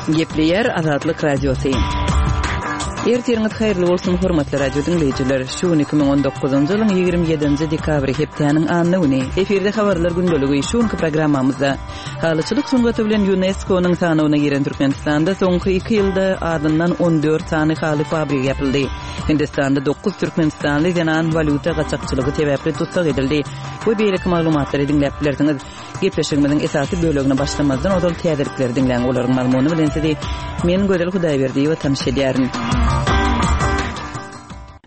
Gepleýär Azatlyk Radiosy. Ertiriňiz haýyrly bolsun, hormatly radio diňleýjiler! Şu gün 2019-njy ýylyň 27-nji dekabry, hepdäniň anna güni. Efirde habarlar gündeligi. Şu günki programmamyzda halyçylyk sungaty bilen ÝUNESKO-nyň sanawyna giren Türkmenistanda soňky iki ýylda azyndan 14 sany haly fabrigi ýapyldy. Hindistanda dokuz türkmenistanly zenan walýuta gaçakçylygy sebäpli tussag edildi we beýleki maglumatlary diňläp bilersiňiz. Gepleşigimiziň esasy bölegine başlamazdan ozal täzelikleri diňläň, olaryň mazmuny bilen sizi men Gözel Hudaýberdiýewa tanyş edýärin.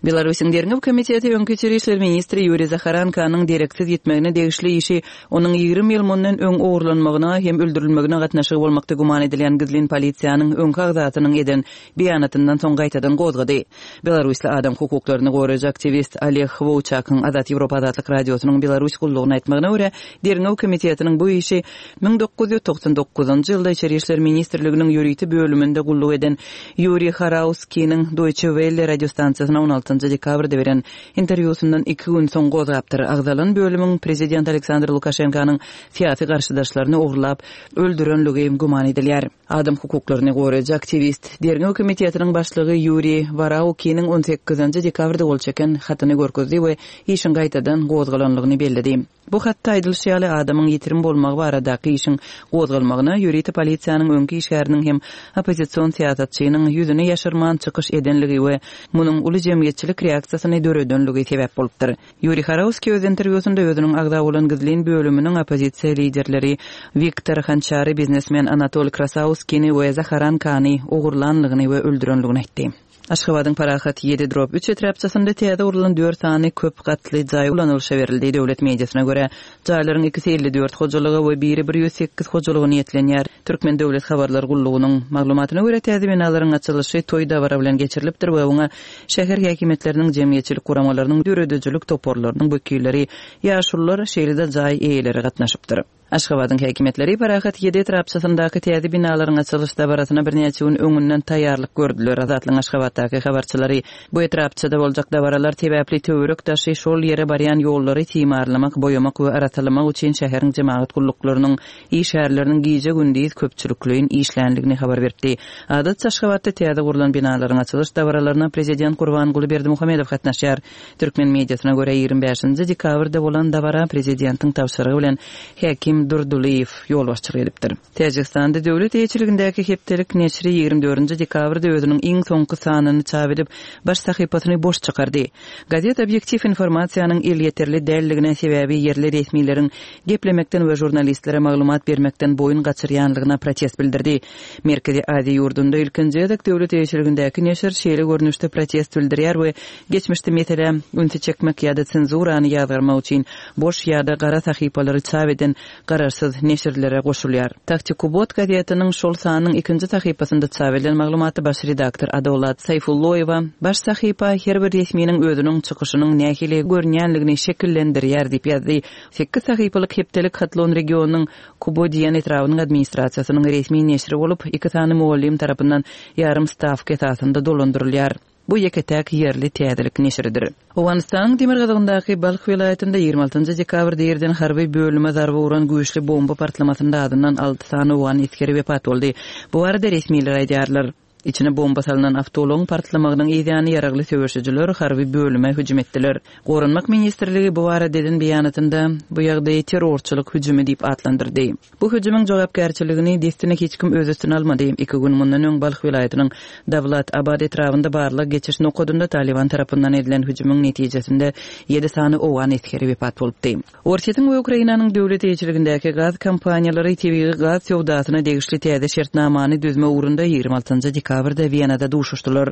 Belarusyň Derňew komiteti öňki içeri işler ministri Ýuriý Zaharankanyň dereksiz ýitmegine degişli işi onuň 20 ýyl mundan öň ogurlanmagyna hem öldürilmegine gatnaşygy bolmakda güman edilýän gizlin polisiýanyň öňki agzasynyň eden beýanatyndan soň gaýtadan gozgady. Belarusly adam hukuklaryny goraýjy aktiwist Oleg Wowçakyň Azat Ýewropa Azatlyk Radiosynyň Belarus gullugyna aýtmagyna görä, Derňew komitetiniň bu işi 1999-njy ýylda Içeri işler ministrliginiň ýörite bölüminde gulluk eden Ýuriý Harauskiniň Deutsche Welle radiostansiýasyna on altynjy dekabrda beren interwýusyndan iki gün soň gozgapdyr. Agzalan bölümiň prezident Aleksandr Lukaşenkanyň syýasy garşydaşlaryny ogurlap öldürenligi güman edilýär. Adam hukuklaryny goraýjy aktiwist, Derňew komitetiniň başlygy Ýuriý Waraukiniň on sekizinji dekabrda gol çeken hatyny görkezdi we işiň gaýtadan gozgalanlygyny belledi. Bu hatda aýdylyşy ýaly, adamyň ýitirim bolmagy baradaky işiň gozgalmagyna ýörite polisiýanyň öňki işgäriniň hem oppozision syýasatçynyň ýüzüni ýaşyrman çykyş edenligi we munuň uly jemgyýetçilik reaksiýasyny döredenligi sebäp bolupdyr. Ýuriý Harowskiý öz interwýusynda özüniň agza bolan gizlin bölüminiň oppozisiýa liderleri Wiktor Hançary, biznesmen Anatol Krasauskini we Zaharankany ogurlanlygyny we öldürenligini aýtdy. Aşgabadyň Parahat ýedi drop üç etrapçasynda täze gurlan dört sany köp gatly jaý ulanylyşa berildi. Döwlet mediasyna görä, jaýlaryň ikisi 54 hojalyga we biri 108 hojalyga niýetlenýär. Türkmen döwlet habarlar gullugynyň maglumatyna görä, täze binalaryň açylyşy toý-dabara bilen geçirilipdir we oňa Şäher häkimiýetleriniň, jemgyýetçilik guramalarynyň, döredijilik toparlarynyň wekilleri, ýaşulular, şeýle-de jaý eýeleri gatnaşypdyr. Aşgabadyň häkimiýetleri Parahat ýedi etrapçasyndaky täze binalaryň açylyş dabarasyna birnäçe gün öňünden taýýarlyk gördüler. Azatlygyň Aşgabatdaky habarçylary bu etrapçada boljak dabaralar sebäpli töwerek-daşy, şol ýere barýan ýollary timarlamak, boýamak we arassalamak üçin şäheriň jemagat gulluklarynyň işgärleriniň gije-gündiz köpçülikleýin işländigini habar beripdi. Adatça Aşgabatda täze gurlan binalaryň açylyş dabaralaryna prezident Gurbanguly Berdimuhamedow gatnaşýar. Türkmen mediasyna görä, 25-nji dekabrda bolan dabara prezidentiň tabşyrygy bilen häkim Durdylyýew ýolbaşçylyk edipdir. Täjigistanda döwlet eýeçiligindäki hepdelik neşiri 24-nji dekabrda özüniň iň soňky sanyny çap edip, baş sahypasyny boş çykardy. Gazet obýektiw informasiýanyň elýeterli däldigine sebäbi ýerli resmileriň geplemekden we žurnalistlere maglumat bermekden boýun gaçyrýanlygyna protest bildirdi. Merkezi Aziýa ýurdunda ilkinji gezek döwlet eýeçiligindäki neşir şeýle görnüşde protest bildirýär we geçmişde meselä ünsi çekmek ýa-da senzurany ýazgarmak üçin boş ýa-da gara sahypalary çap eden garaşsyz neşirlere goşulýar. Taktikubot gazetiniň şol sanynyň ikinji sahypasynda çap edilen maglumatda baş redaktor Adolat Saýfulloýewa, Baş sahypa her bir resminiň özüniň çykyşynyň nähili görünýänligini şekillendirýär diýip ýazdy. Sekiz sahypalyk hepdelik Hatlon regionynyň Kubodiýan etrabynyň administrasiýasynyň resmi neşiri bolup, iki sany mugallym tarapyndan ýarym stawka esasynda dolandyrylýar. Bu ýeke-täk ýerli täzelik neşiridir. Owganystanyň demirgazygyndaky Balh welaýatynda 26 dekabrda irden harby bölüme zarba uran güýçli bomba partlamasynda azyndan alty sany owgan esgeri wepat boldy. Bu barada resmiler aýdýarlar. Içine bomba salnan awtoulagyň partlamagynyň yzýany ýaragly söweşijiler harby bölüme hüjüm etdiler. Goranmak ministrligi bu barada eden beýanatynda, bu ýagdaýy terrorçylyk hüjümi diýip atlandyrdy. Bu hüjümiň jogapkärçiligini dessine hiç kim öz üstüne almady. Iki gün mundan öň Balh welaýatynyň Dawlat Abad etrabynda barlag geçiş nokadynda Talyban tarapyndan edilen hüjümiň netijesinde ýedi sany owgan esgeri wepat bolupdy. Orsýetiň we Ukrainanyň döwlet eýeçiligindäki gaz kompaniýalary tebigy gaz söwdasyna degişli täze şertnamany düzmek ugrunda 26 dekabrda Wenada duşuşdylar.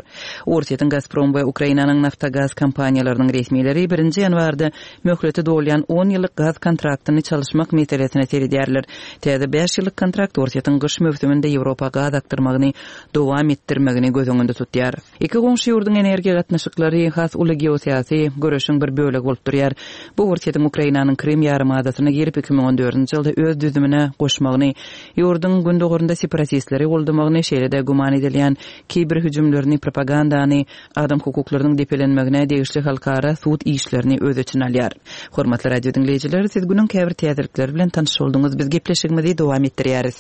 Orsýetiň Gazprom we Ukrainanyň Naftogaz kompaniýalarynyň resmileri birinji ýanwarda möhleti dolýan on ýyllyk gaz kontraktyny çalyşmak meselesine seredýärler. Täze bäş ýyllyk kontrakt Orsýetiň gyş möwsüminde Ýewropa gaz akdyrmagyny dowam etdirmegini göz öňünde tutýar. Iki goňşy ýurduň energiýa gatnaşyklary has uly geosyýasy göreşiň bir bölegi bolup durýar. Bu Orsýetiň Ukrainanyň Krym ýarymadasyna girip, 2014-nji ýylda öz düzümine goşmagyny, ýurduň gündogarynda separatistleri goldamagyny, şeýle-de güman edilýän kiber hüjümlerini, propagandany, adam hukuklarynyň depelenmegine degişli halkara sud işlerini öz içine alýar. Hormatly radio diňleýjiler, siz günüň käbir täzelikleri bilen tanyş bolduňyz. Biz gepleşigimizi dowam etdirýäris.